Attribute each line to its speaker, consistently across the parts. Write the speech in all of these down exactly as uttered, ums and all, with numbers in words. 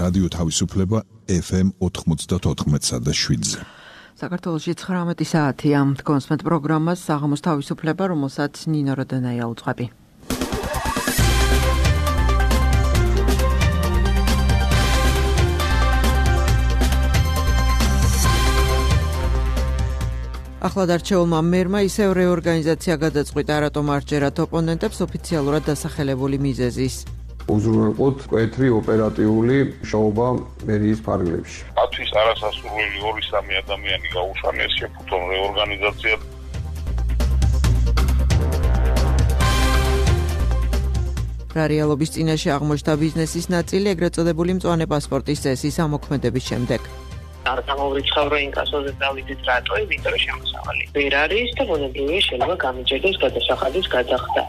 Speaker 1: რადიო თავისუფლება ეფ ემ ოთხმოცდაოთხ და შვიდზე.
Speaker 2: საქართველოში ცხრამეტი საათია. კონსმეთ პროგრამას საღამოს თავისუფლება, რომელსაც ნინო როდენაია უძღვები. ახლად არჩეულმა მერმა ისევ რეორგანიზაცია გადაწყვიტა, რატომ არ ჯერათ ოპონენტებს ოფიციალურად დასახელებული მიზეზის.
Speaker 3: უზრუნველყოთ მკვეთრი ოპერატიული მუშაობა მერიის ფარგლებში.
Speaker 4: მათთვის არასასურველი ორი სამი ადამიანი გაუშვანეს შეფუთონ რეორგანიზაცია.
Speaker 2: რა რეალობის წინაშე აღმოჩნდა ბიზნესის ნაწილი, ეგრეთ წოდებული მწვანე პასპორტის წესის ამოქმედების შემდეგ.
Speaker 5: არ გამოვიწყავ რო ინკასოზე დავიდეთ რატო, იმიტომ რომ შემოსავალი ვერ არის და ბუნებრივია შეიძლება გამიჯერდეს გადასახადის გადახდა.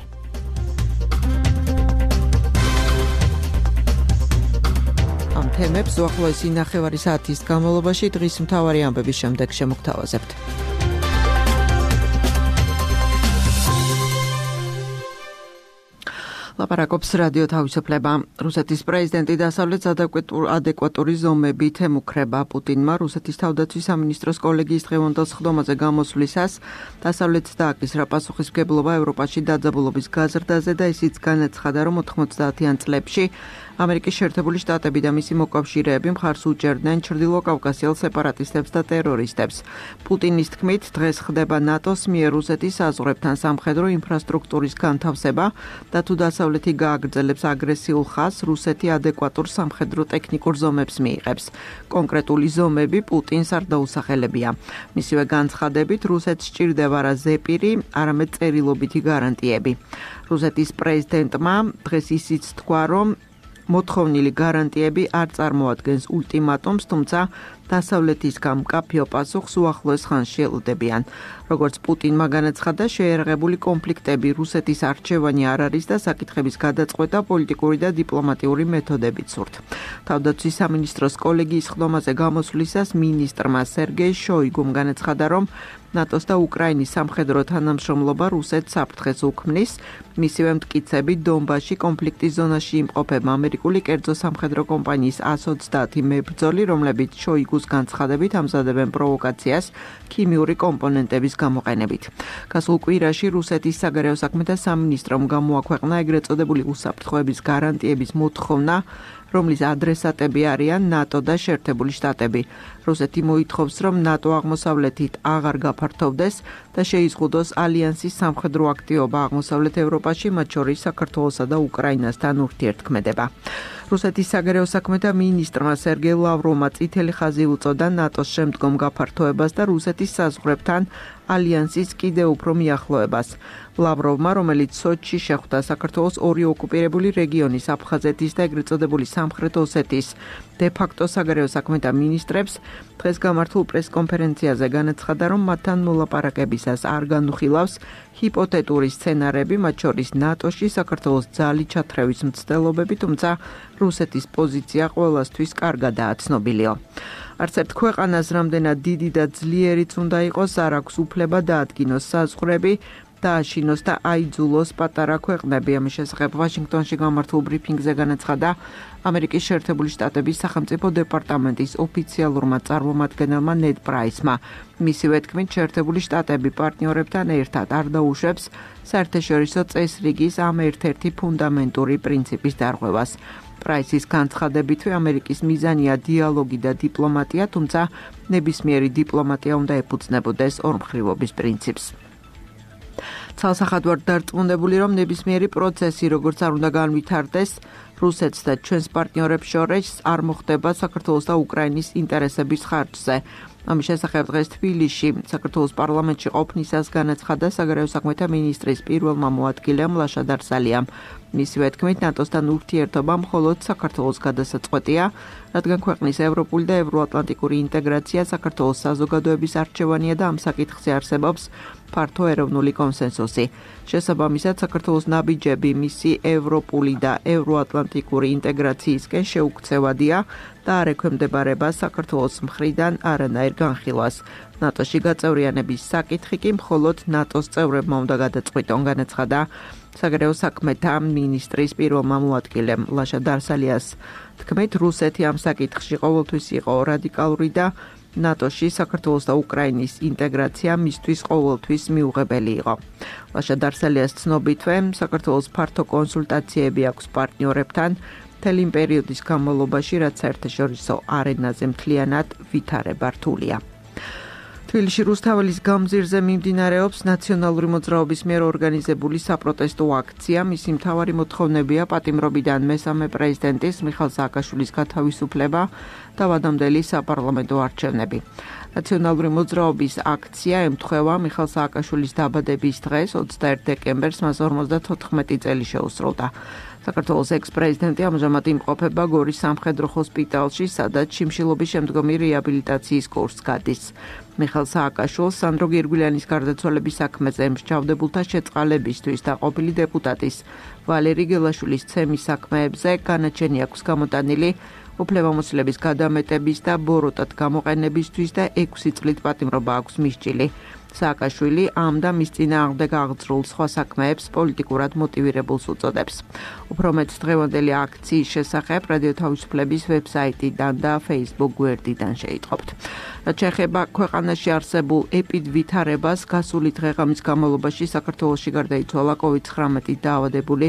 Speaker 5: ამ თემებს უახლოესი ნახევარი საათის განმავლობაში დღის მთავარი ამბების შემდეგ შემოგთავაზებთ. ლაპარაკობს რადიო თავისუფლება. რუსეთის პრეზიდენტი დასავლეთს ადეკვატური ზომებით ემუქრება. პუტინმა რუსეთის თავდაცვის სამინისტროს კოლეგიის დღევანდელ სხდომაზე გამოსვლისას დასავლეთს დააკისრა პასუხისმგებლობა ევროპაში დაძაბულობის გაზრდაზე და ისიც განაცხადა, რომ ოთხმოცდაათიან წლებში ამერიკის შეერთებული შტატები და მისი მოკავშირეები მხარს უჭერდნენ ჩრდილოკავკასიელ სეპარატისტებს და ტერორისტებს. პუტინის თქმით, დღეს ხდება ნატოს მიერ რუსეთის საზღვრებთან სამხედრო ინფრასტრუქტურის განთავსება და თუ დასავლეთი გააგრძელებს აგრესიულ ხაზს, რუსეთი ადეკვატურ სამხედრო ტექნიკურ ზომებს მიიღებს. კონკრეტული ზომები პუტინს არ დაუსახელებია. მისივე განცხადებით, რუსეთს სჭირდება არა ზეპირი, არამედ წერილობითი გარანტიები. რუსეთის პრეზიდენტმა დღეს ისიც თქვა, რომ მოთხოვნილი გარანტიები არ წარმოადგენს ულტიმატუმს, თუმცა დასავლეთისგან მკაფიო პასუხს უახლოეს ხანში ელოდებიან. როგორც პუტინმა განაცხადა, შეერაღებული კონფლიქტები რუსეთის არჩევანი არ არის და საკითხების გადაწყვეტა პოლიტიკური და დიპლომატიური მეთოდებით სურთ. თავდაცვის სამინისტროს კოლეგიის სხდომაზე გამოსვლისას მინისტრმა სერგეი შოიგუმ განაცხადა, რომ ნატოს და უკრაინის სამხედრო თანამშრომლობა რუსეთს საფრთხეს უქმნის. მისივე მტკიცები დონბასში კონფლიქტის ზონაში იმყოფება ამერიკული კერძო სამხედრო კომპანიის ას ოცდაათი მებრძოლი, რომლებიც შოიგუს განცხადებით ამზადებენ პროვოკაციას ქიმიური კომპონენტების გამოყენებით. გასულ კვირაში რუსეთის საგარეო საქმეთა სამინისტრომ გამოაქვეყნა ეგრეთ წოდებული უსაფრთხოების გარანტიების მოთხოვნა, რომლის ადრესატები არიან ნატო და შეერთებული შტატები. რუსეთი მოითხოვს, რომ ნატო აღმოსავლეთით აღარ გაფართოვდეს და შეიზღუდოს ალიანსის სამხედრო აქტივობა აღმოსავლეთ ევროპაში, მათ შორის საქართველოსა და უკრაინასთან ურთიერთქმედება. რუსეთის საგარეო საქმეთა მინისტრმა სერგეი ლავროვმა წითელი ხაზი უწოდა ნატოს შემდგომ გაფართოებას და რუსეთის საზღვრებთან ალიანსის კიდევ უფრო მიახლოებას. ლავროვმა, რომელიც სოჩში შეხვდა საქართველოს ორი ოკუპირებული რეგიონის აფხაზეთის და ეგრეთ წოდებული სამხრეთ ოსეთის დე-ფაქტო საგარეო საქმეთა მინისტრებს დღეს გამართულ პრესკონფერენციაზე განაცხადა, რომ მათთან მოლაპარაკებისას არ განუხილავს ჰიპოთეტური სცენარები, მათ შორის ნატოში საქართველოს ძალი ჩათრევის მცდელობები, თუმცა რუსეთის პოზიცია ყველასთვის კარგადაა ცნობილია. არც ერთ ქვეყანას რამდენად დიდი და ძლიერიც უნდა იყოს, არ აქვს უფლება დაადგინოს საზღვრები, დააშინოს და აიძულოს პატარა ქვეყნები. ამის შესახებ ვაშინგტონში გამართულ ბრიფინგზე განაცხადა ამერიკის შეერთებული შტატების სახელმწიფო დეპარტამენტის ოფიციალურმა წარმომადგენელმა ნედ პრაისმა. მისივე თქმით, შეერთებული შტატები პარტნიორებთან ერთად არ დაუშვებს საერთაშორისო წესრიგის ამ ერთ-ერთი ფუნდამენტური პრინციპის დარღვევას. პრაისის განცხადებითვე ამერიკის მიზანია დიალოგი და დიპლომატია, თუმცა ნებისმიერი დიპლომატია უნდა ეფუძნებოდეს ორმხრივობის პრინციპს. ცალსახად ვარ დარწმუნებული, რომ ნებისმიერი პროცესი, როგორც არ უნდა განვითარდეს, რუსეთს და ჩვენს პარტნიორებს შორის არ მოხდება საქართველოს და უკრაინის ინტერესების ხარჯზე. ამის შესახებ დღეს თბილისში საქართველოს პარლამენტში ყოფნისას განაცხადა საგარეო საქმეთა მინისტრის პირველმა მოადგილემ ლაშა დარსალიამ. მისივე თქმით, ნატოსთან ურთიერთობა მხოლოდ საქართველოს გადასაწყვეტია, რადგან ქვეყნის ევროპული და ევროატლანტიკური ინტეგრაცია საქართველოს საზოგადოების არჩევანია და ამ საკითხზე არსებობს ფართო ეროვნული კონსენსუსი. შესაბამისად, საქართველოს ნაბიჯები მისი ევროპული და ევროატლანტიკური ინტეგრაციისკენ შეუქცევადია და არ ექვემდებარება საქართველოს მხრიდან არანაირ განხილვას. ნატოში გაწევრიანების საკითხი კი მხოლოდ ნატოს წევრებმა უნდა გადაწყვიტონ, განაცხადა საგარეო საქმეთა მინისტრის პირველმა მოადგილემ ლაშა დარსალიას თქმით, რუსეთი ამ საკითხში ყოველთვის იყო რადიკალური და ნატოში საქართველოს და უკრაინის ინტეგრაცია მისთვის ყოველთვის მიუღებელი იყო. ლაშა დარსალიას ცნობითვე, საქართველოს ფართო კონსულტაციები აქვს პარტნიორებთან მთელი იმ პერიოდის განმავლობაში, რაც საერთაშორისო არენაზე მთლიანად ვითარება რთულია. თბილისში რუსთაველის გამზირზე მიმდინარეობს ნაციონალური მოძრაობის მიერ ორგანიზებული საპროტესტო აქცია. მისი მთავარი მოთხოვნებია პატიმრობიდან მესამე პრეზიდენტის მიხაილ სააკაშვილის გათავისუფლება და ვადამდელი საპარლამენტო არჩევნები. ნაციონალური მოძრაობის აქცია ემთხვევა მიხაილ სააკაშვილის დაბადების დღეს, ოცდაერთი დეკემბერს, მას ორმოცდათოთხმეტი წელი შეუსრულდა. საქართველოს ექს-პრეზიდენტი ამჟამად იმყოფება გორის სამხედრო ჰოსპიტალში, სადაც შიმშილობის შემდგომი რეაბილიტაციის კურსს გადის. მიხაილ სააკაშვილს სანდრო გირგვლიანის გარდაცვალების საქმეზე მსჯავრდებულთა შეწყალებისთვის და ყოფილი დეპუტატის ვალერი გელაშვილის ცემის საქმეებზე განაჩენი აქვს გამოტანილი უფლებამოსილების გადამეტების და ბოროტად გამოყენებისთვის და ექვსი წლით პატიმრობა აქვს მისჭილი. სააკაშვილი ამ და მის წინააღმდეგ აღძრულ სხვა საქმეებს პოლიტიკურად მოტივირებულს უწოდებს. უფრო მეტ დღევანდელი აქციის შესახებ რადიო თავისუფლების ვებსაიტიდან და Facebook გვერდიდან შეიტყობთ. რაც შეეხება ქვეყანაში არსებულ ეპიდვითარებას, გასული დღე-ღამის განმავლობაში საქართველოში გარდაიცვალა კოვიდ ცხრამეტით დაავადებული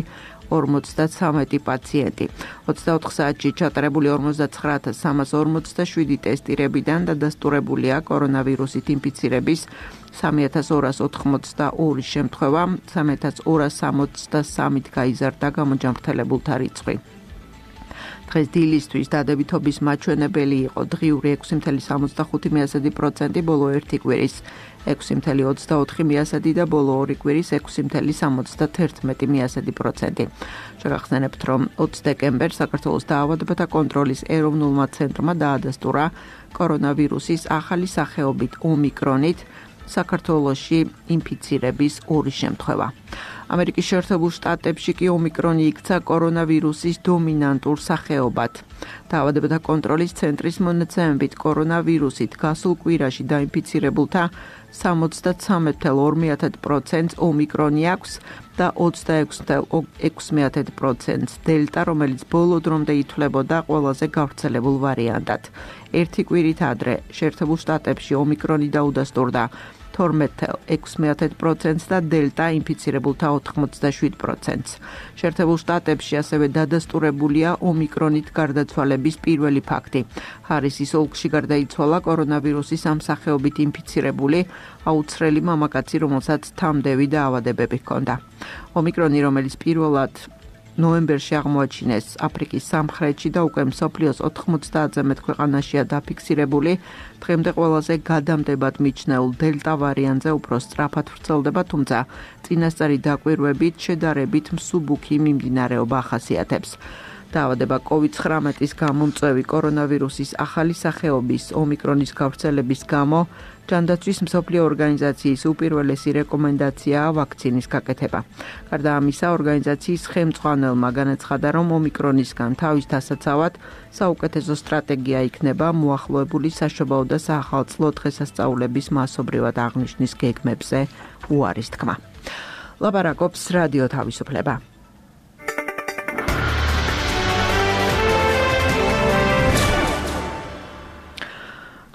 Speaker 5: ორმოცდათვრამეტი პაციენტი. ოცდაოთხ საათში ჩატარებული ორმოცდაცხრა ათას სამას ორმოცდაშვიდი ტესტირებიდან დადასტურებულია კორონავირუსით ინფიცირების სამი ათას ორას ოთხმოცდაორი შემთხვევა, სამი ათას ორას სამოცდასამით გაიზარდა გამოჯანმრთელებულთა რიცხვი. დღეს დილისთვის დადებითობის მაჩვენებელი იყო დღიური ექვსი მცდარი სამოცდახუთი პროცენტი, ბოლო ერთი კვირის ექვსი მცდარი ოცდაოთხი პროცენტი და ბოლო ორი კვირის ექვსი მცდარი სამოცდათერთმეტი პროცენტი. შეგახსენებთ, რომ ოცი დეკემბერს საქართველოს დაავადებათა კონტროლის ეროვნულმა ცენტრმა დაადასტურა კორონავირუსის ახალი სახეობით ომიკრონით საქართველოში ინფიცირების ორი შემთხვევა. ამერიკის შეერთებულ შტატებში კი ომიკრონი იქცა კორონავირუსის დომინანტურ სახეობად. დაავადებათა კონტროლის ცენტრის მონაცემებით კორონავირუსით გასულ კვირაში დაინფიცირებულთა სამოცდაცამეტ ფაصლ ორი პროცენტს ომიკრონი აქვს და ოცდაექვსი ფაصლ ექვსი პროცენტს დელტა, რომელიც ბოლო დრომდე ითვლებოდა ყველაზე გავრცელებულ ვარიანტად. ერთი კვირით ადრე შეერთებულ შტატებში ომიკრონი დაუდასტურდა თორმეტ ფაصლ ექვსი პროცენტს და დელტა ინფიცირებულთა ოთხმოცდაშვიდ პროცენტს. შეერთებულ შტატებში ასევე დადასტურებულია ომიკრონით გარდაცვალების პირველი ფაქტი. ჰარისის ოლქში გარდაიცვალა კორონავირუსის ამ სახეობით ინფიცირებული აუცხრელი მამაკაცი, რომელსაც თამდევი დაავადებები ჰქონდა. ომიკრონი, რომელიც პირველად ნოემბერში აღმოაჩინეს აფრიკის სამხრეთში და უკვე მსოფლიოს ოთხმოცდაათზე მეტ ქვეყანაშია დაფიქსირებული, დღემდე ყველაზე გადამდებად მიჩნეულ დელტა ვარიანტზე უფრო სწრაფად ვრცელდება, თუმცა წინასწარი დაკვირვებით შედარებით მსუბუქი მიმდინარეობა ახასიათებს. დაავადება კოვიდ ცხრამეტის გამომწვევი კორონავირუსის ახალი სახეობის ომიკრონის გავრცელების გამო ჯანდაცვის მსოფლიო ორგანიზაციის უპირველესი რეკომენდაციაა ვაქცინის გაკეთება. გარდა ამისა, ორგანიზაციის ხელმძღვანელმა განაცხადა, რომ ომიკრონისგან თავის დასაცავად საუკეთესო სტრატეგია იქნება მოახლოებული საშობაო და საახალწლო დღესასწაულების მასობრივად აღნიშვნის გეგმებზე უარის თქმა. ლაპარაკობს რადიო თავისუფლება.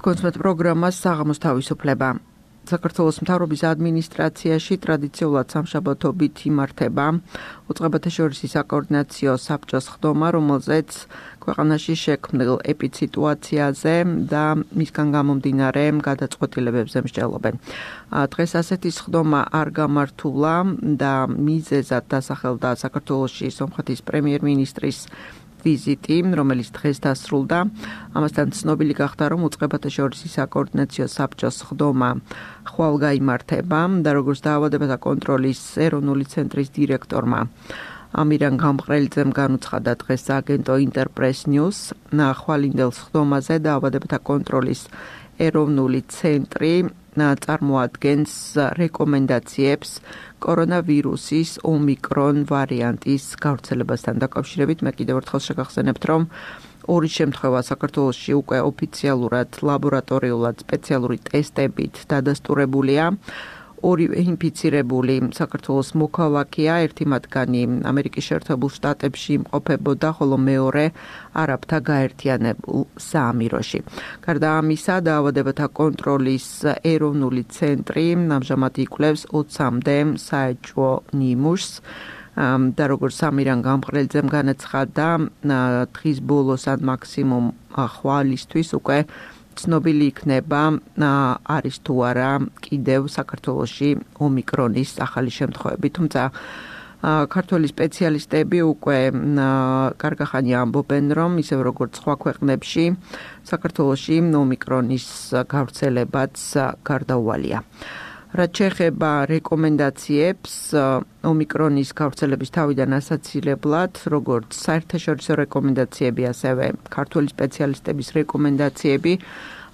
Speaker 5: კონსმეთ პროგრამას საღამოს თავისუფლება. საქართველოს მთავრობის ადმინისტრაციაში ტრადიციულად სამშაბათობით იმართება უწყებათა შორისი საკოორდინაციო საბჭოს ხდომა, რომელზეც ქვეყანაში შექმნილ ეპიდსიტუაციაზე და მისგან გამომდინარე გადაწყვეტილებებზე მსჯელობენ. დღეს ასეთი ხდომა არ გამართულა და მიზეზად დასახელდა საქართველოში სომხეთის პრემიერ-მინისტრის ვიზიტი, რომელიც დღეს დასრულდა. ამასთან ცნობილი გახდა, რომ უწყებათა შორისი საკოორდინაციო საბჭოს ხდომა ხვალ გაიმართება და როგორც დაავადებათა კონტროლის ეროვნული ცენტრის დირექტორმა ამირან გამყრელიძემ განუცხადა დღეს აგენტო ინტერპრეს ნიუს, ხვალინდელ ხდომაზე დაავადებათა კონტროლის ეროვნული ცენტრი წარმოადგენს რეკომენდაციებს კორონავირუსის ომიკრონ ვარიანტის გავრცელებასთან დაკავშირებით. მე კიდევ ერთხელ შეგახსენებთ, რომ ორი შემთხვევა საქართველოში უკვე ოფიციალურად ლაბორატორიულად სპეციალური ტესტებით დადასტურებულია. ორივე ინფიცირებული საქართველოს მოქალაქეა, ერთი მათგანი ამერიკის შეერთებულ შტატებში იმყოფებოდა, ხოლო მეორე არაბთა გაერთიანებულ საამიროში. გარდა ამისა, დაავადებათა კონტროლის ეროვნული ცენტრი ამჟამად იკვლევს ოცამდე საეჭვო ნიმუშს და როგორც სამირან გამყრელიძემ განაცხადა, დღის ბოლოს ან მაქსიმუმ ხვალისთვის უკვე ცნობილი იქნება არის თუ არა კიდევ საქართველოში ომიკრონის ახალი შემთხვევები. თუმცა ქართველი სპეციალისტები უკვე კარგახანი ამბობენ, რომ ისევ როგორც სხვა ქვეყნებში საქართველოში ომიკრონის გავრცელებაც გარდაუვალია. რაც შეეხება რეკომენდაციებს ომიკრონის გავრცელების თავიდან ასაცილებლად, როგორც საერთაშორისო რეკომენდაციები, ასევე ქართველი სპეციალისტების რეკომენდაციები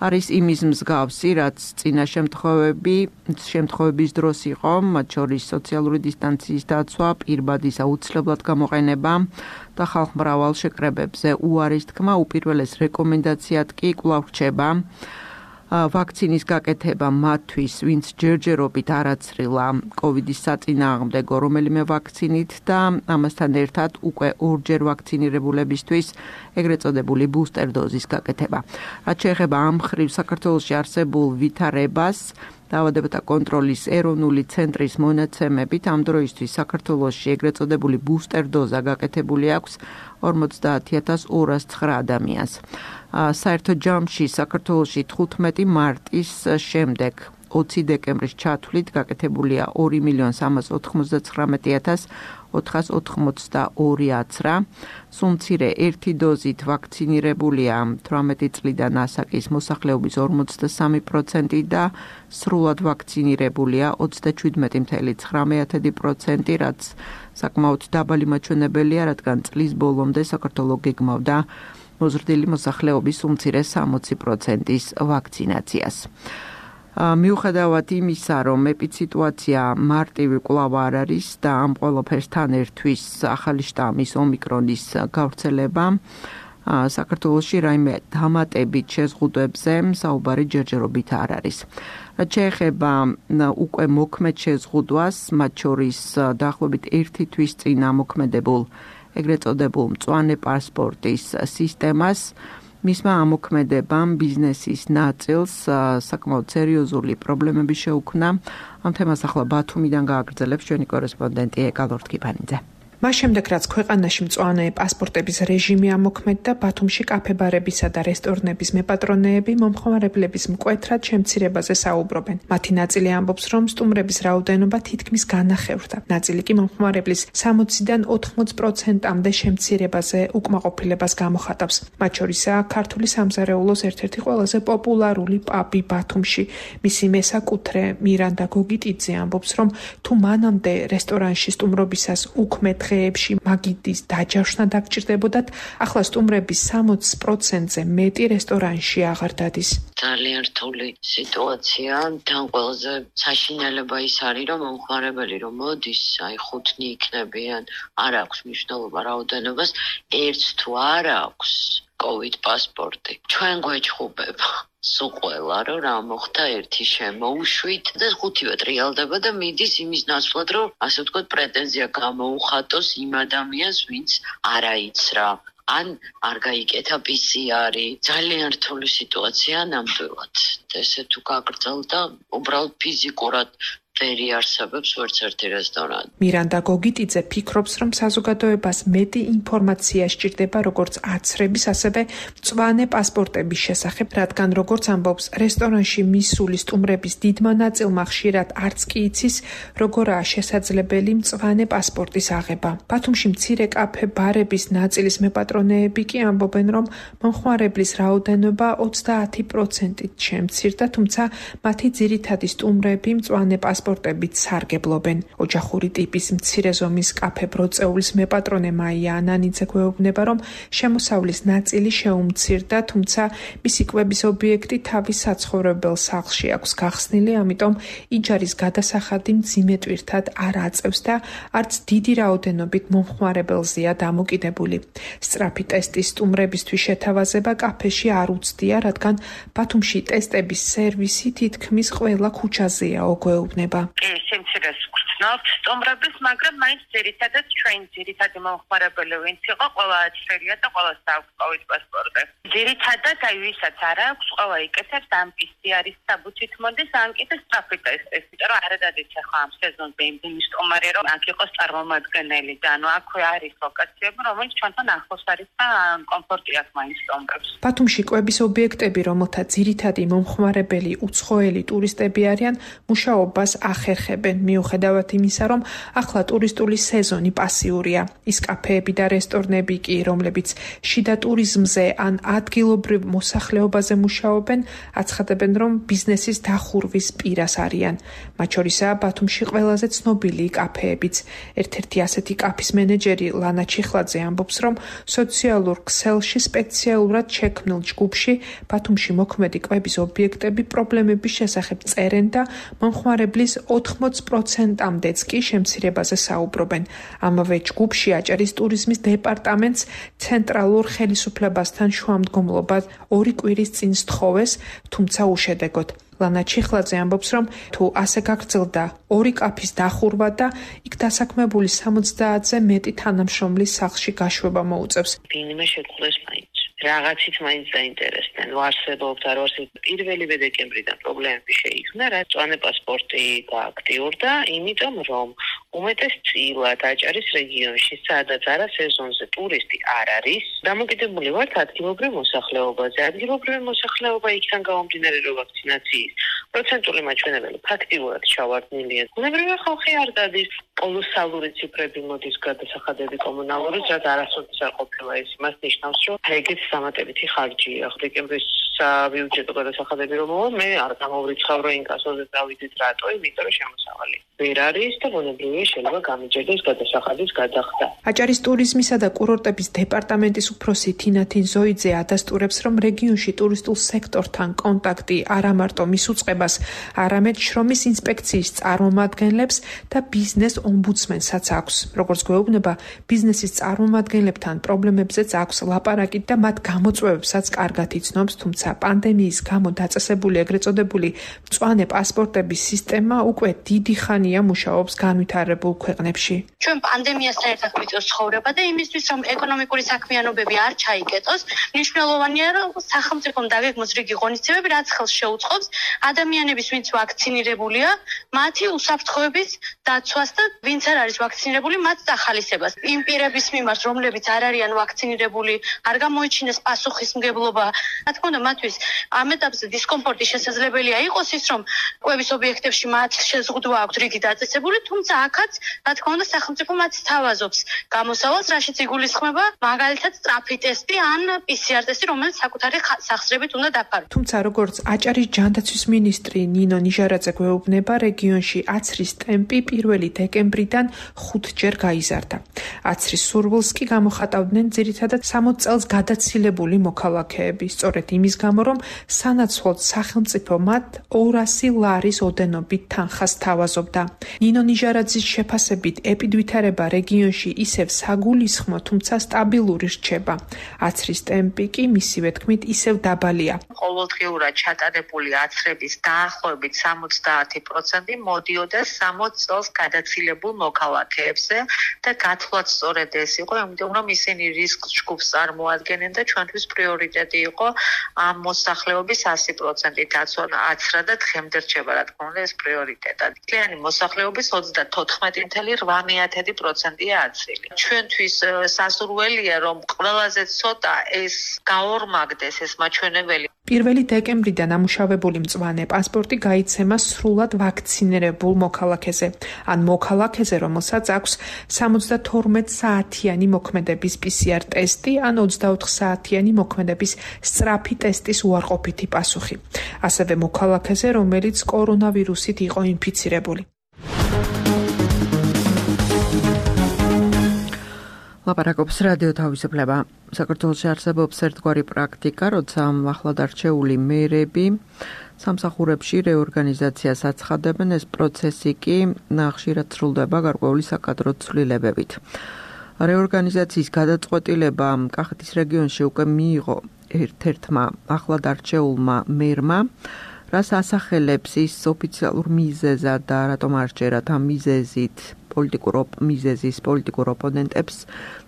Speaker 5: არის იმის მსგავსი, რაც წინა შემთხვევები, შემთხვევების დროს იყო, მათ შორის სოციალური დისტანციის დაცვა, პირბადის აუცილებლად გამოყენება და ხალხმრავალ შეკრებებზე უარის თქმა, უპირველეს რეკომენდაციად კი კვლავ რჩება ვაქცინის გაკეთება მათთვის, ვინც ჯერჯერობით არაცრილა კოვიდის საწინააღმდეგო რომელიმე ვაქცინით და ამასთან ერთად უკვე ორჯერ ვაქცინირებულებისთვის ეგრეთ წოდებული ბუსტერ დოზის გაკეთება. რაც შეეხება ამ მხრივ საქართველოში არსებულ ვითარებას, დაავადებათა კონტროლის ეროვნული ცენტრის მონაცემებით ამ დროისთვის საქართველოში ეგრეთ წოდებული ბუსტერ დოზა გაკეთებული აქვს ორმოცდაათი ათას ორას ცხრა ადამიანს. საერთო ჯამში საქართველოში თხუთმეტი მარტის შემდეგ ოცი დეკემბრის ჩათვლით გაკეთებულია ორი მილიონი სამას ოთხმოცდათხრამეტი ათას ოთხას ოთხმოცდაორი აცრა. სულ მცირე ერთი დოზით ვაქცინირებულია თვრამეტი წლიდან ასაკის მოსახლეობის ორმოცდასამი პროცენტი და სრულად ვაქცინირებულია ოცდაჩვიდმეტი მცდარი პროცენტი, რაც საკმაოდ დაბალი მაჩვენებელია, რადგან წლის ბოლომდე საქართველო გეგმავდა მოზრდილი მოსახლეობის უმცირე სამოცი პროცენტის ვაქცინაციას. მიუხედავად იმისა, რომ ეპიდემიასიტუაცია მარტივი კვლავ არ არის და ამ ყველაფერსთან ერთვის ახალი შტამის ომიკრონის გავრცელება, საქართველოში რაიმე დამატებით შეზღუდვებზე საუბარი ჯერჯერობით არ არის. რაც შეეხება უკვე მოქმედ შეზღუდვას, მათ შორის დაახლოებით ერთი თვის წინ ამოქმედებულ ეგრეთ წოდებულ მწვანე პასპორტის სისტემას, მისმა ამოქმედებამ ბიზნესის ნაწილს საკმაოდ სერიოზული პრობლემები შეუქმნა. ამ თემას ახლა ბათუმიდან გააგრძელებს ჩვენი კორესპონდენტი ეკა ლორთქიფანიძე.
Speaker 6: მას შემდეგ, რაც ქვეყანაში მწვანე პასპორტების რეჟიმი ამოქმედდა, ბათუმში კაფე-ბარებისა და რესტორნების მეპატრონეები მომხმარებლების მკვეთრად შემცირებაზე საუბრობენ. მათი ნაწილი ამბობს, რომ სტუმრების რაოდენობა თითქმის განახევრდა. ნაწილი კი მომხმარებლის სამოციდან ოთხმოც პროცენტამდე შემცირებაზე უკმაყოფილებას გამოხატავს. მათ შორისაა ქართული სამზარეულოს ერთ-ერთი ყველაზე პოპულარული პაბი ბათუმში. მისი მესაკუთრე მირანდა გოგიტიძე ამბობს, რომ თუ მანამდე რესტორანში სტუმრობისას უქმედ დღეებში მაგიდის დაჯავშნა დაგჭირდებოდათ, ახლა სტუმრების სამოც პროცენტზე მეტი რესტორანში აღარ დადის.
Speaker 7: ძალიან რთული სიტუაცია, თან ყველაზე საშინელება ის არის, რომ მომხმარებელი რომ მოდის, აი ხუთნი იქნებიან, არ აქვს მნიშვნელობა რაოდენობას, ერთს თუ არ აქვს კოვიდ პასპორტი. ჩვენ გვეჭხუბება სულ ყველა, რომ რა მოხდა ერთი შემოუშვით და ხუთივე ტრიალდება და მიდის იმის ნაცვლად, რომ ასე ვთქვათ, პრეტენზია გამოუხატოს იმ ადამიანს, ვინც არ აიცრა. ან არ გაიკეთა პი სი არი. ძალიან რთული სიტუაცია ნამდვილად. ესე თუ გაგრძელდა, უბრალოდ ფიზიკურად ვერ იარსებებს ვერც ერთი რესტორანი.
Speaker 6: მირანდა გოგიტიძე ფიქრობს, რომ საზოგადოებას მეტი ინფორმაცია სჭირდება როგორც აცრების, ასევე მწვანე პასპორტების შესახებ, რადგან როგორც ამბობს, რესტორანში მისული სტუმრების დიდმა ნაწილმა ხშირად არც კი იცის, როგორაა შესაძლებელი მწვანე პასპორტის აღება. ბათუმში მცირე კაფე-ბარების ნაწილის მეპატრონეები კი ამბობენ, რომ მომხმარებლის რაოდენობა ოცდაათი პროცენტით შემცირდა, თუმცა მათი ძირითადი სტუმრები მწვანე პასპორტის პასპორტებით სარგებლობენ. ოჯახური ტიპის მცირე ზომის კაფე ბროწეულის მეპატრონე მაია ანანიძე გვეუბნება, რომ შემოსავლის ნაწილი შეუმცირდა, თუმცა მისი კვების ობიექტი თავის საცხოვრებელ სახლში აქვს გახსნილი, ამიტომ იჯარის გადასახადი მძიმე ტვირთად არ აწევს და არც დიდი რაოდენობით მომხმარებელზეა დამოკიდებული. სწრაფი ტესტის სტუმრებისთვის შეთავაზება კაფეში არ უცდია, რადგან ბათუმში ტესტების სერვისი თითქმის ყველა ქუჩაზეა, ოგვეუბნება.
Speaker 8: სიმცირეს ვგრძნობთ სტუმრების, მაგრამ მაინც ძირითადად ჩვენ ძირითადი მომხმარებელი ვინც იყო, ყველა აცრელია და ყველას აქვს კოვიდ პასპორტი. ძირითადად აი ვისაც არ აქვს, ყველა იკეთებს ამ პი სი არის საბუთით მოდის, ან კიდე სწრაფი ტესტის, იმიტომ რომ არ დადის ახლა ამ სეზონზე იმდენი სტუმარი, რომ აქ იყოს წარმომადგენელი და ანუ აქვე არის ლოკაციები, რომელიც ჩვენთან ახლოს არის და კომფორტი აქვს მაინც სტუმრებს.
Speaker 6: ბათუმში კვების ობიექტები, რომელთა ძირითადი მომხმარებელი უცხოელი ტურისტები არიან, მუშაობას ახერხებენ, მიუხედავად იმისა, რომ ახლა ტურისტული სეზონი პასიურია. ის კაფეები და რესტორნები კი, რომლებიც შიდა ტურიზმზე ან ადგილობრივ მოსახლეობაზე მუშაობენ, აცხადებენ, რომ ბიზნესის დახურვის პირას არიან. მათ შორისაა ბათუმში ყველაზე ცნობილი კაფეებიც. ერთ-ერთი ასეთი კაფის მენეჯერი ლანა ჩიხლაძე ამბობს, რომ სოციალურ ქსელში სპეციალურად შექმნილ ჯგუფში ბათუმში მოქმედი კვების ობიექტები პრობლემების შესახებ წერენ და მომხმარებლის ოთხმოცი პროცენტამდეც კი შემცირებაზე საუბრობენ. ამავე ჯგუფში აჭარის ტურიზმის დეპარტამენტს ცენტრალურ ხელისუფლებასთან შუამდგომლობა ორი კვირის წინ სთხოვეს, თუმცა უშედეგოდ. ლანა ჩიხლაძე ამბობს, რომ თუ ასე გაგრძელდა ორი კაფის დახურვა და იქ დასაქმებული სამოცდაათზე მეტი თანამშრომლის სახლში გაშვება მოუწევს.
Speaker 7: ვინმე შექმნეს მაინც. რაღაცით მაინც დაინტერესდნენ. ვარსებობთ, არ ვარსებობთ. პირველივე დეკემბრიდან პრობლემები შეიქმნა, რაც მწვანე პასპორტი გააქტიურდა, იმიტომ რომ უმეტესწილად აჭარის რეგიონში, სადაც არა სეზონზე ტურისტი არ არის, დამოკიდებული ვართ ადგილობრივ მოსახლეობაზე. ადგილობრივი მოსახლეობა იქიდან გამომდინარე, რომ ვაქცინაციის პროცენტული მაჩვენებელი ფაქტიურად ჩავარდნილია. ბუნებრივია ხალხი არ დადის, კოლოსალური ციფრები მოდის გადასახადები კომუნალურიც, რაც არასოდეს არ ყოფილა. ეს იმას ნიშნავს, რომ ეგეც დამატებითი ხარჯია. დეკემბრის საბიუჯეტო გადასახადები რომ მოვა, მე არ გამოვრიცხავ, რომ ინკასოზე დავიდეთ რატო, იმიტომ რომ შემოსავალი ვერ არის და ბუნებრივია შეიძლება გამიჯერდეს გადასახადის გადახდა.
Speaker 6: აჭარის ტურიზმისა და კურორტების დეპარტამენტის უფროსი თინათინ ზოიძე ადასტურებს, რომ რეგიონში ტურისტულ სექტორთან კონტაქტი არა მარტო მის უწყებას, არამედ შრომის ინსპექციის წარმომადგენლებს და ბიზნეს ომბუდსმენსაც აქვს. როგორც გვეუბნება, ბიზნესის წარმომადგენლებთან პრობლემებზეც აქვს ლაპარაკი და მათ გამოწვევებსაც კარგად იცნობს, თუმცა პანდემიის გამო დაწესებული ეგრეთ წოდებული მწვანე პასპორტების სისტემა უკვე დიდი ხანია მუშაობს განვითარებულ ქვეყნებში.
Speaker 9: ჩვენ პანდემიასთან ერთად გვიწევს ცხოვრება და იმისთვის, რომ ეკონომიკური საქმიანობები არ ჩაიკეტოს, მნიშვნელოვანია, რომ სახელმწიფომ დაგეგმოს რიგი ღონისძიებები, რაც ხელს შეუწყობს ადამიანების, ვინც ვაქცინირებულია, მათი უსაფრთხოების დაცვას და ვინც არ არის ვაქცინირებული, მათ დახალისებას. იმ პირების მიმართ, რომლებიც არ არიან ვაქცინირებული, არ გამოიჩინეს პასუხისმგებლობა. რა თქმა უნდა, მათთვის ამ ეტაპზე დისკომფორტი შესაძლებელია იყოს ის, რომ კვების ობიექტებში მათ შეზღუდვა აქვთ რიგი დაწესებული, თუმცა აქაც, რა თქმა უნდა, სახელმწიფო მათ სთავაზობს გამოსავალს, რაშიც იგულისხმება მაგალითად სწრაფი ტესტი ან პი სი არ ტესტი, რომელიც საკუთარი სახსრებით უნდა დაფაროს.
Speaker 6: თუმცა როგორც აჭარის ჯანდაცვის მინისტრი ნინო ნიჟარაძე გვეუბნება, რეგიონში აცრის ტემპი პირველი დეკემბრიდან ხუთჯერ გაიზარდა. აცრის სურვილს კი გამოხატავდნენ ძირითადად სამოც წელს გადაცილებული მოქალაქეები, სწორედ იმის გამო, რომ სანაცვლოდ სახელმწიფო მათ ორასი ლარის ოდენობით თანხას თავაზობდა. ნინო ნიჟარაძის შეფასებით ეპიდვითარება რეგიონში ისევ საგულისხმო, თუმცა სტაბილური რჩება. აცრის ტემპი კი მისივე თქმით ისევ დაბალია.
Speaker 8: ყოველდღიურად ჩატარებული აცრების დაახლოებით სამოცდაათი პროცენტი მოდიოდა სამოც წელს გადაცილებულ მოქალაქეებზე და გათვლათ სწორედ ეს იყო, იმიტომ რომ ისინი რისკს ჯგუფს წარმოადგენენ და ჩვენთვის პრიორიტეტი იყო ამ მოსახლეობის ასი პროცენტი დაცვა აცრა და დღემდე რჩება, რა თქმა უნდა, ეს პრიორიტეტად. მთლიანი მოსახლეობის ოცდათოთხმეტი целых восемь десятых პროცენტია აცრილი. ჩვენთვის სასურველია, რომ ყველაზე ცოტა ეს გაორმაგდეს ეს მაჩვენებელი.
Speaker 6: პირველი დეკემბრიდან ამუშავებული მწვანე პასპორტი გაიცემა სრულად ვაქცინირებულ მოქალაქეზე, ან მოქალაქეზე, რომელსაც აქვს სამოცდათორმეტი საათიანი მოქმედების პი სი არ ტესტი, ან ოცდაოთხ საათიანი მოქმედების სწრაფი ტესტის უარყოფითი პასუხი. ასევე მოქალაქეზე, რომელიც კორონავირუსით იყო ინფიცირებული.
Speaker 2: ლაპარაკობს რადიო თავისუფლება. საქართველოში არსებობს ერთგვარი პრაქტიკა, როცა ახლად არჩეული მერები სამსახურებში რეორგანიზაციას აცხადებენ, ეს პროცესი კი ხშირად სრულდება გარკვეული საკადრო ცვლილებებით. რეორგანიზაციის გადაწყვეტილება კახეთის რეგიონში უკვე მიიღო ერთ-ერთმა ახლად არჩეულმა მერმა, რას ასახელებს ის ოფიციალურ მიზეზად და რატომ არ სჯერათ ამ მიზეზით პოლიტიკურ მიზეზის პოლიტიკურ ოპონენტებს,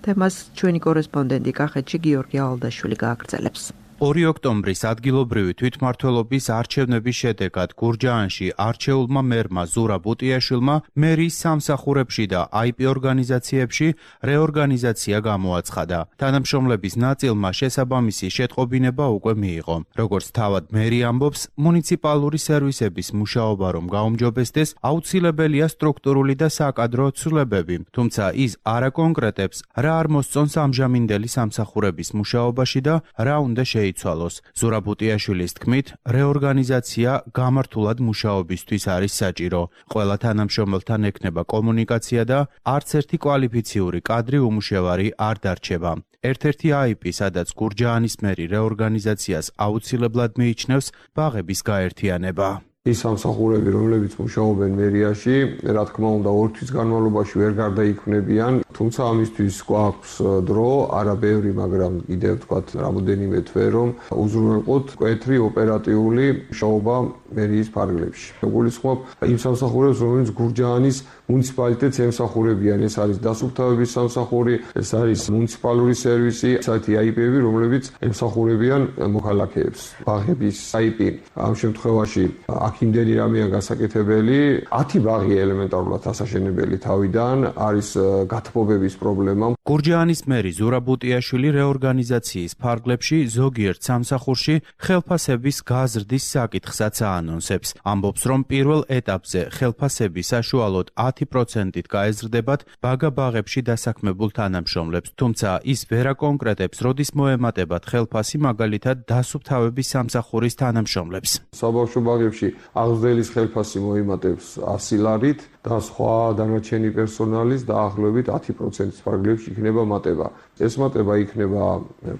Speaker 2: თემას ჩვენი კორესპონდენტი კახეთში გიორგი ალდაშვილი გააგრძელებს.
Speaker 10: ორი ოქტომბრის ადგილობრივი თვითმმართველობის არჩევნების შედეგად გურჯაანში არჩეულმა მერმა ზურა ბუტიაშვილმა მერის სამსახურებში და აი პი ორგანიზაციებში რეორგანიზაცია გამოაცხადა. თანამშრომლების ნაწილმა შესაბამისი შეტყობინება უკვე მიიღო. როგორც თავად მერი ამბობს, მუნიციპალური სერვისების მუშაობა რომ გაუმჯობესდეს, აუცილებელია სტრუქტურული და საკადრო ცვლილებები, თუმცა ის არ აკონკრეტებს, რა არ მოსწონს ამჟამინდელი სამსახურების მუშაობაში და რა უნდა შეიცვალოს. ზურა ბუტიაშვილის თქმით, რეორგანიზაცია გამართულად მუშაობისთვის არის საჭირო. ყველა თანამშრომელთან ექნება კომუნიკაცია და არც ერთი კვალიფიციური კადრი უმუშევარი არ დარჩება. ერთ-ერთი აი პი, სადაც გურჯაანის მერი რეორგანიზაციას აუცილებლად მიიჩნევს ბაღების გაერთიანება.
Speaker 3: ის სამსახურები, რომლებიც მუშაობენ მერიაში, რა თქმა უნდა, ორი თვის განმავლობაში ვერ გარდაიქმნებიან, თუმცა ამისთვის გვაქვს დრო, არა ბევრი, მაგრამ კიდევ ვთქვათ, რამოდენიმე თვე, რომ უზრუნველყოთ მკვეთრი ოპერატიული მუშაობა მერიის ფარგლებში. გულისხმობ იმ სამსახურებს, რომელიც გურჯაანის მუნიციპალიტეტს ემსახურებიან, ეს არის დასუფთავების სამსახური, ეს არის მუნიციპალური სერვისი, საერთი აი პი-ები, რომლებიც ემსახურებიან მოქალაქეებს. ბაღების აი პი ამ შემთხვევაში აქ იმდენი რამეა გასაკეთებელი, ათი ბაღი ელემენტარულად ასაშენებელი თავიდან, არის გათბობების პრობლემა.
Speaker 10: გურჯაანის მერი ზურა ბუტიაშვილი რეორგანიზაციის ფარგლებში ზოგიერთ სამსახურში ხელფასების გაზრდის საკითხსაც აანონსებს. ამბობს, რომ პირველ ეტაპზე ხელფასები საშუალოდ ათი პროცენტით გაეზრდებათ ბაგა-ბაღებში დასაქმებულ თანამშრომლებს, თუმცა ის ვერ აკონკრეტებს, როდის მოემატებათ ხელფასი მაგალითად დასუფთავების სამსახურის თანამშრომლებს.
Speaker 3: საბავშვო ბაღებში აღზრდელის ხელფასი მოიმატებს ასი ლარით და სხვა დანარჩენი პერსონალის დაახლოებით ათი პროცენტის ფარგლებში იქნება მატება. ეს მატება იქნება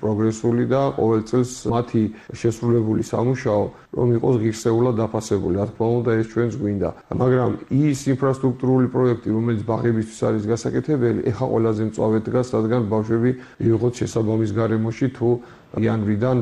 Speaker 3: პროგრესული და ყოველ წელს მათი შესრულებული სამუშაო რომ იყოს ღირსეულად დაფასებული. რა თქმა უნდა, ეს ჩვენს გვინდა. მაგრამ ის ინფრასტრუქტურული პროექტი, რომელიც ბაღებისთვის არის გასაკეთებელი, ეხა ყველაზე მწვავედ დგას, რადგან ბავშვები მივიღოთ შესაბამის გარემოში თუ იანვრიდან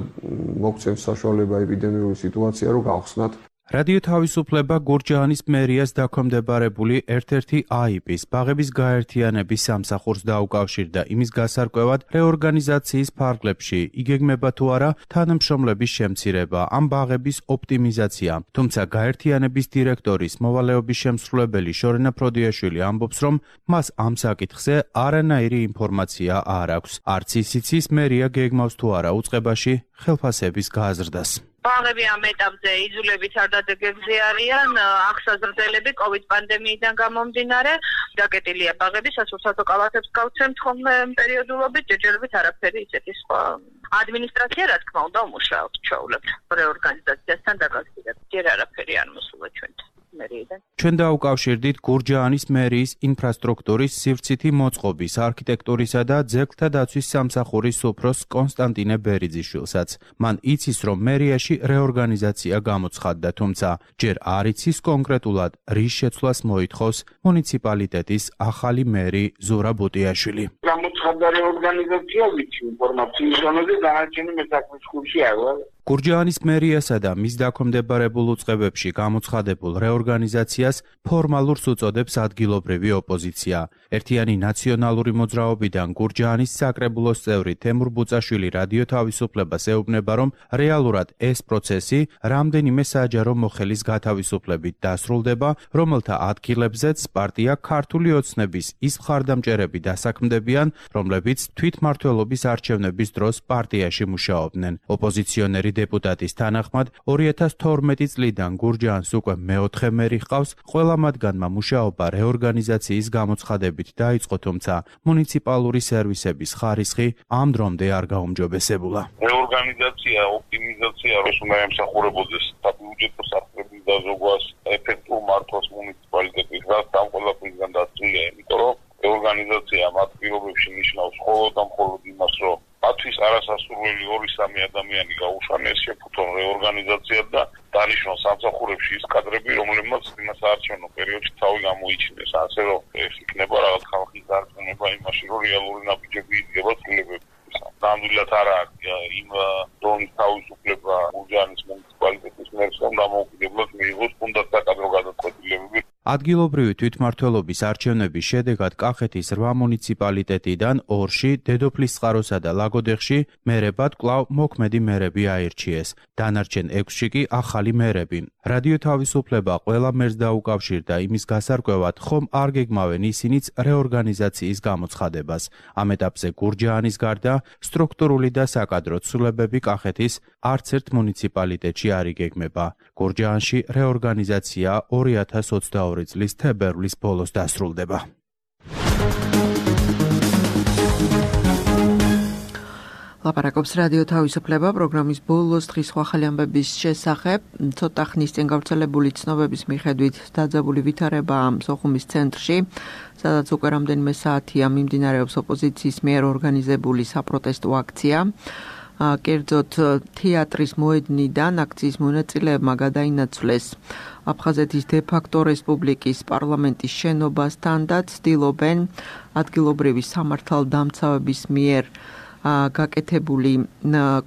Speaker 3: მოგცემს საშუალება ეპიდემიური სიტუაცია, რომ გავხსნათ.
Speaker 10: რადიო თავისუფლება გურჯაანის მერიას დაქვემდებარებული ერთ-ერთი აი პი-ს ბაღების გაერთიანების სამსახურს დაუკავშირდა იმის გასარკვევად რეორგანიზაციის ფარგლებში იგეგმება თუ არა თანამშრომლების შემცირება ამ ბაღების ოპტიმიზაცია. თუმცა გაერთიანების დირექტორის მოვალეობის შემსრულებელი შორენა ფროდიაშვილი ამბობს, რომ მას ამ საკითხზე არანაირი ინფორმაცია არ აქვს. არც ის იცის მერია გეგმავს თუ არა უწყებაში ხელფასების გაზრდას.
Speaker 8: ბაღები ამ ეტაპზე იძულებით არ დადეგებზე არიან, აღსაზრდელები კოვიდ პანდემიიდან გამომდინარე, დაკეტილია ბაღები, სასურსათო კალათებს გავცემთ ხოლმე პერიოდულობით, ჯერჯერობით არაფერი ისეთი სხვა. ადმინისტრაცია, რა თქმა უნდა, უმუშაობს, ჩვეულებთ რეორგანიზაციასთან დაკავშირებით. ჯერ არაფერი არ მოსულა ჩვენთან. ჩვენ დაუკავშირდით გურჯაანის მერიის ინფრასტრუქტურის სივრცითი მოწყობის, არქიტექტურისა და ძეგლთა დაცვის სამსახურის უფროს კონსტანტინე ბერიძიშვილსაც. მან იცის, რომ მერიაში რეორგანიზაცია გამოცხადდა, თუმცა ჯერ არ იცის კონკრეტულად, რის შეცვლას მოითხოვს მუნიციპალიტეტის ახალი მერი ზურა ბუტიაშვილი.
Speaker 4: გამოცხადდა რეორგანიზაცია, ვიცი ინფორმაციის ზონაზე დანარჩენი მესაქმის ხურში არა.
Speaker 10: გურჯაანის მერიასა და მის დაქვემდებარებულ უწყებებში გამოცხადებულ რეორგანიზაციას ფორმალურს უწოდებს ადგილობრივი ოპოზიცია. ერთიანი ნაციონალური მოძრაობიდან გურჯაანის საკრებულოს წევრი თემურ ბუწაშვილი რადიო თავისუფლებას ეუბნება, რომ რეალურად ეს პროცესი რამდენიმე საჯარო მოხელის გათავისუფლებით დასრულდება, რომელთა ადგილებზეც პარტია ქართული ოცნების ის მხარდამჭერები დასაქმდებიან, რომლებიც თვითმმართველობის არჩევნების დროს პარტიაში მუშაობდნენ. ოპოზიციონერი დეპუტატის თანახმად ორი ათას თორმეტი წლიდან გურჯაანს უკვე მეოთხე მერი ჰყავს, ყველა მათგანმა მუშაობა რეორგანიზაციის გამოცხადებით დაიწყო, თუმცა მუნიციპალური სერვისების ხარისხი ამ დრომდე არ გაუმჯობესებულა.
Speaker 4: რეორგანიზაცია, ოპტიმიზაცია, როს უნდა ემსახურებოდეს საბიუჯეტო სახლების დაზოგვას, ეფექტურ მართვას მუნიციპალიტეტის და ამ ყველაფრისგან დაცულია, იმიტომ რომ რეორგანიზაცია მათ პირობებში ნიშნავს ხო ადამიანი გაუშანეს, შეფუთონ რეორგანიზაცია და დანიშნონ სამსახურებში ის კადრები, რომლებმაც იმას საარჩევნო პერიოდში თავი გამოიჩინეს, ასე რომ ეს იქნება რაღაც ხალხის დარწმუნება იმაში, რომ რეალური ნაბიჯები იდგება ცვლილებებში. ნამდვილად არა იმ დონის თავისუფლება გურჯაანის მუნიციპალიტეტის მერს, რომ დამოუკიდებლად მიიღოს თუნდაც საკადრო გადაწყვეტილებები.
Speaker 10: ადგილობრივი თვითმმართველობის არჩევნების შედეგად კახეთის რვა მუნიციპალიტეტიდან ორში, დედოფლისწყაროსა და ლაგოდეხში მერებად კვლავ მოქმედი მერები აირჩიეს. დანარჩენ ექვსში კი ახალი მერები. რადიო თავისუფლება ყველა მერს დაუკავშირდა იმის გასარკვევად, ხომ არ გეგმავენ ისინიც რეორგანიზაციის გამოცხადებას. ამ ეტაპზე გურჯაანის გარდა სტრუქტურული და საკადრო ცვლილებები კახეთის არც ერთ მუნიციპალიტეტში არ იგეგმება. გურჯაანში რეორგანიზაცია ორი ათას ოცდაორი წლის თებერვლის ბოლოს დასრულდება.
Speaker 2: ლაპარაკობს რადიო თავისუფლება პროგრამის ბოლოს დღის ახალი ამბების შესახებ. ცოტა ხნის წინ გავრცელებული ცნობების მიხედვით დაძაბული ვითარება სოხუმის ცენტრში, სადაც უკვე რამდენიმე საათია მიმდინარეობს ოპოზიციის მიერ ორგანიზებული საპროტესტო აქცია. კერძოდ თეატრის მოედნიდან აქციის მონაწილეებმა გადაინაცვლეს აფხაზეთის დე-ფაქტო რესპუბლიკის პარლამენტის შენობასთან და ცდილობენ ადგილობრივი სამართალდამცავების მიერ გაკეთებული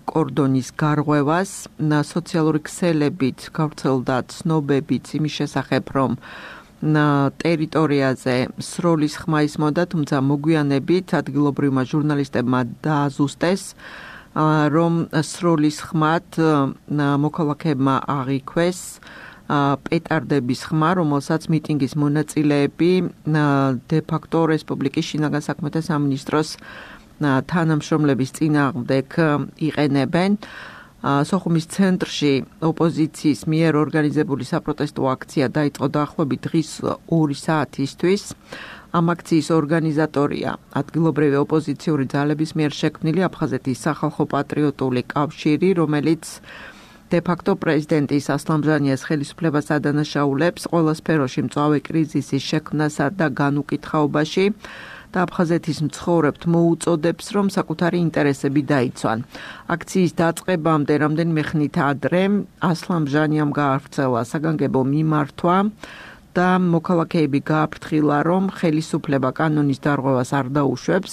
Speaker 2: კორდონის გარღვევას. სოციალური ქსელებით გავრცელდა ცნობებიც იმის შესახებ, რომ ტერიტორიაზე სროლის ხმა ისმოდა, თუმცა მოგვიანებით ადგილობრივმა ჟურნალისტებმა დააზუსტეს, რომ სროლის ხმად მოქალაქეებმა აღიქვეს პეტარდების ხმა, რომელსაც მიტინგის მონაწილეები დე-ფაქტო რესპუბლიკის შინაგან საქმეთა სამინისტროს თანამშრომლების წინააღმდეგ იყენებენ. სოხუმის ცენტრში ოპოზიციის მიერ ორგანიზებული საპროტესტო აქცია დაიწყო დაახლოებით დღის ორი საათისთვის. ამ აქციის ორგანიზატორია ადგილობრივი ოპოზიციური ძალების მიერ შექმნილი აფხაზეთის სახალხო პატრიოტული კავშირი, რომელიც დე-ფაქტო პრეზიდენტის ასლან ბჟანიას ხელისუფლებას ადანაშაულებს ყველა სფეროში მწვავე კრიზისის შექმნასა და განუკითხაობაში და აფხაზეთის მცხოვრებთ მოუწოდებს, რომ საკუთარი ინტერესები დაიცვან. აქციის დაწყებამდე რამდენიმე ხნით ადრე ასლან ბჟანიამ გაავრცელა საგანგებო მიმართვა და მოქალაქეები გააფრთხილა, რომ ხელისუფლება კანონის დარღვევას არ დაუშვებს.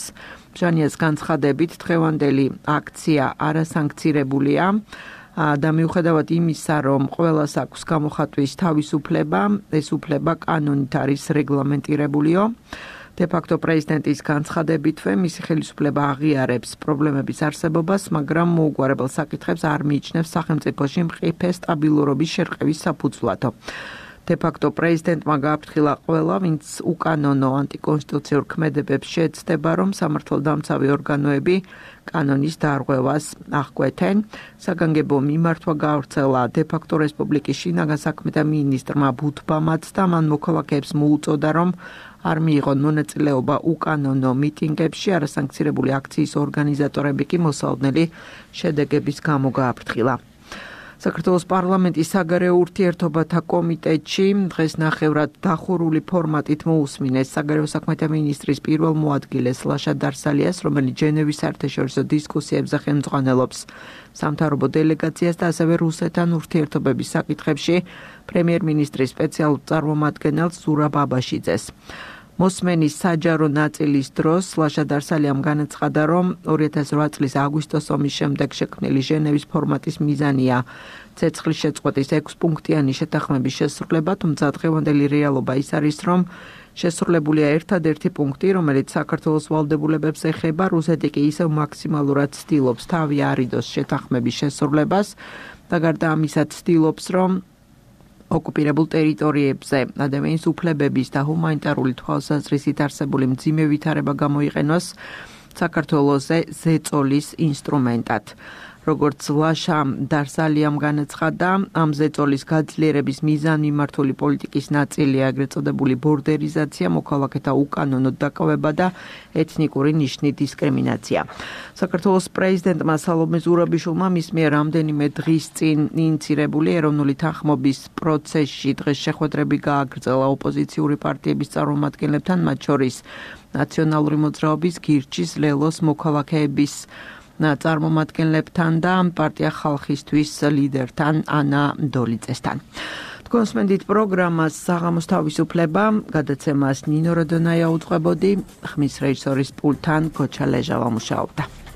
Speaker 2: ბჟანიას განცხადებით დღევანდელი აქცია არასანქცირებულია და მიუხედავად იმისა, რომ ყველას აქვს გამოხატვის თავისუფლება, ეს უფლება კანონით არის რეგლამენტირებულიო. დე-ფაქტო პრეზიდენტის განცხადებითვე მისი ხელისუფლება აღიარებს პრობლემების არსებობას, მაგრამ მოუგვარებელ საკითხებს არ მიიჩნევს სახელმწიფოში მყიფე სტაბილურობის შერყევის საფუძვლად. დე-ფაქტო პრეზიდენტმა გააფრთხილა ყველა, ვინც უკანონო ანტიკონსტიტუციურ ქმედებებს შეეცდება, რომ სამართალდამცავი ორგანოები კანონის დარღვევას აღკვეთენ. საგანგებო მიმართვა გაავრცელა დე-ფაქტო რესპუბლიკის შინაგან საქმეთა მინისტრმა ბუთბამაც და მან მოქალაქეებს მოუწოდა, რომ არ მიიღონ მონაწილეობა უკანონო მიტინგებში. არასანქცირებული აქციის ორგანიზატორები კი მოსალოდნელი შედეგების გამო გააფრთხილა. საქართველოს პარლამენტის საგარეო ურთიერთობათა კომიტეტში დღეს ნახევრად დახურული ფორმატით მოусმინეს საგარეო საქმეთა მინისტრის პირველ მოადგილეს ლაშა დარსალიას, რომელიც ჟენევის საერთაშორისო დისკუსიებზე ხელმძღვანელობს სამთავრობო დელეგაციას და ასევე რუსეთთან ურთიერთობების საკითხებში პრემიერ-მინისტრის სპეციალურ წარმომადგენელს ზურაბ აბაშიძეს. მოსმენის საჯარო ნაწილის დროს ლაშა დარსალიამ განაცხადა, რომ ორი ათას რვა წლის აგვისტოს ომის შემდეგ შექმნილი ჟენევის ფორმატის მიზანია ცეცხლის შეწყვეტის ექვსპუნქტიანი შეთანხმების შესრულება, თუმცა დღევანდელი რეალობა ის არის, რომ შესრულებულია ერთადერთი პუნქტი, რომელიც საქართველოს ვალდებულებებს ეხება. რუსეთი კი ისევ მაქსიმალურად ცდილობს თავი არიდოს შეთანხმების შესრულებას და გარდა ამისა ცდილობს, რომ ოკუპირებულ ტერიტორიებზე ადამიანის უფლებების და ჰუმანიტარული თვალსაზრისით არსებული მძიმე ვითარება გამოიყენოს საქართველოზე ზეწოლის ინსტრუმენტად. როგორც ლაშა დარსალიამ განაცხადა, ამ ზეწოლის გაძლიერების მიზანმიმართული პოლიტიკის ნაწილია ეგრეთ წოდებული ბორდერიზაცია, მოქალაქეთა უკანონო დაკავება და ეთნიკური ნიშნით დისკრიმინაცია. საქართველოს პრეზიდენტმა სალომე ზურაბიშვილმა მის მიერ რამდენიმე დღის წინ ინიცირებული ეროვნული თანხმობის პროცესში დღეს შეხვედრები გააგრძელა ოპოზიციური პარტიების წარმომადგენლებთან, მათ შორის ნაციონალური მოძრაობის, გირჩის, ლელოს მოქალაქეების წარმომადგენლებთან და პარტია ხალხისთვის ლიდერთან ანა დოლიძესთან. თქვენს მენდით პროგრამას საღამოს თავისუფლება, გადაცემას ნინო როდონაია უძღვებოდი, ხმის რეჟისორის პულტთან გოჩა ლეჟავა მუშაობდა.